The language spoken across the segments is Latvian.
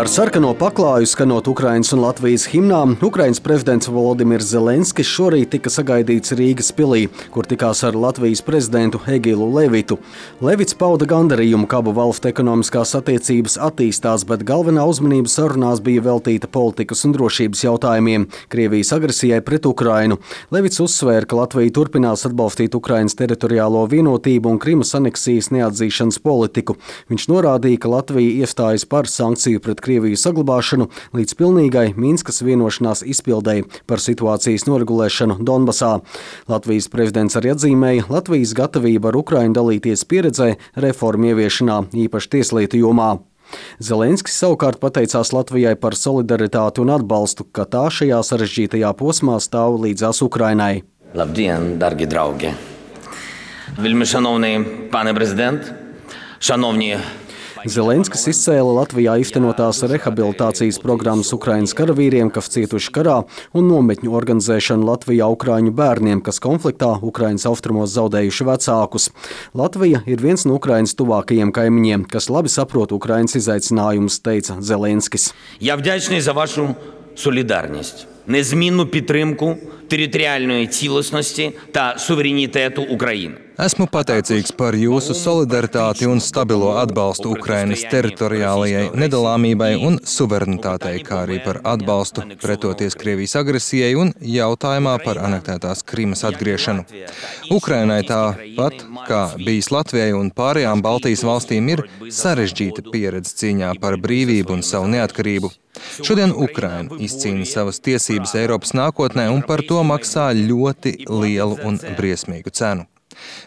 Ar sarkano paklāju skanot Ukrainas un Latvijas himnām, Ukrainas prezidents Volodimirs Zelenskis šorīt tika sagaidīts Rīgas pilī, kur tikās ar Latvijas prezidentu Egilu Levitu. Levits pauda gandarījumu, ka abu valstu ekonomiskās attiecības attīstās, bet galvenā uzmanība sarunās bija veltīta politikas un drošības jautājumiem, Krievijas agresijai pret Ukrainu. Levits uzsvēra, ka Latvija turpinās atbalstīt Ukrainas teritoriālo vienotību un Krimas aneksijas neatzīšanas politiku. Viņš norādīja, ka Latvija iestājas par sankciju pret Krieviju saglabāšanu līdz pilnīgai Minskas vienošanās izpildei par situācijas noregulēšanu Donbasā. Latvijas prezidents arī atzīmēja Latvijas gatavību ar Ukrainu dalīties pieredzē reformu ieviešanā, īpaši tieslietu jomā. Zelenskis savukārt pateicās Latvijai par solidaritāti un atbalstu, ka tā šajā sarežģītajā posmā stāv līdzās Ukrainai. Labdien, dargi draugi! Вельмишановний пане президент, шановні Zelenskis izcēla Latvijā īstenotās rehabilitācijas programmas Ukrainas karavīriem, kas cietuši karā, un nometņu organizēšanu Latvijā ukraiņu bērniem, kas konfliktā Ukrainas austrumos zaudējuši vecākus. Latvija ir viens no Ukrainas tuvākajiem kaimiņiem, kas labi saprot Ukrainas izaicinājumus, teica Zelenskis. Я вдячний за вашу солідарність, незмінну підтримку територіальної цілісності та суверенітету України. Esmu pateicīgs par jūsu solidaritāti un stabilo atbalstu Ukrainas teritoriālajai nedalāmībai un suverenitātei, kā arī par atbalstu pretoties Krievijas agresijai un jautājumā par anektētās Krimas atgriešanu. Ukrainai tāpat, kā bijis Latvijai un pārējām Baltijas valstīm, ir sarežģīta pieredze cīņā par brīvību un savu neatkarību. Šodien Ukraina izcīna savas tiesības Eiropas nākotnē un par to maksā ļoti lielu un briesmīgu cenu.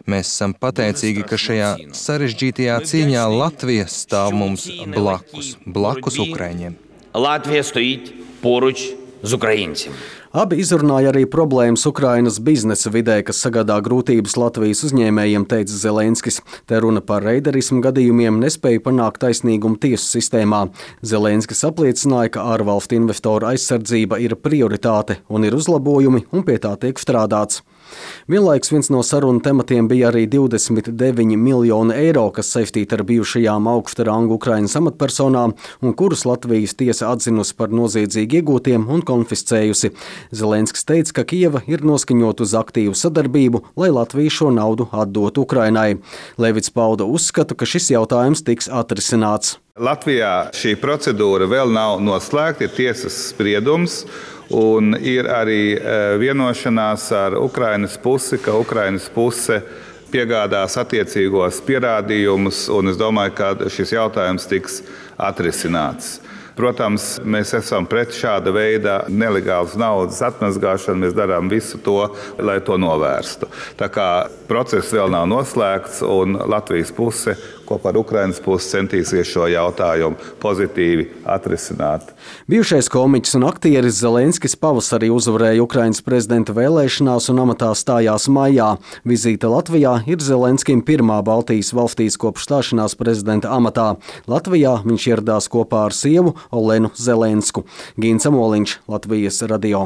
Mēs esam pateicīgi, ka šajā sarežģītajā cīņā Latvija stāv mums blakus Ukraiņiem. Latvija stoīt poruč z ukraiņciem. Abi izrunāja arī problēmas Ukrainas biznesa vidē, kas sagādā grūtības Latvijas uzņēmējiem, teica Zelenskis. Te runa par reiderismu gadījumiem, nespēja panākt taisnīgumu tiesu sistēmā. Zelenskis apliecināja, ka ārvalstu investoru aizsardzība ir prioritāte un ir uzlabojumi, un pie tā tiek strādāts. Vienlaiks viens no sarunu tematiem bija arī 29 miljoni eiro, kas saistīti ar bijušajām augsta rangu Ukrainas amatpersonām un kurus Latvijas tiesa atzinusi par noziedzīgi iegūtiem un konfiscējusi. Zelenskis teica, ka Kijeva ir noskaņota uz aktīvu sadarbību, lai Latvija šo naudu atdotu Ukrainai. Levits pauda uzskatu, ka šis jautājums tiks atrisināts. Latvijā šī procedūra vēl nav noslēgta, ir tiesas spriedums. Un ir arī vienošanās ar Ukrainas pusi, ka Ukrainas puse piegādās attiecīgos pierādījumus, un es domāju, ka šis jautājums tiks atrisināts. Protams, mēs esam pret šāda veida nelegālas naudas atmazgāšanu, mēs darām visu to, lai to novērstu. Tā kā process vēl nav noslēgts, un Latvijas puse kopā ar Ukrainas pusi centīsies šo jautājumu pozitīvi atrisināt. Bijušais komiķis un aktieris Zelenskis pavasarī uzvarēja Ukrainas prezidenta vēlēšanās un amatā stājās maijā. Vizīte Latvijā ir Zelenskim pirmā Baltijas valstīs kopš stāšanās prezidenta amatā. Latvijā viņš ieradās kopā ar sievu Olenu Zelensku. Gins Amoliņš, Latvijas radio.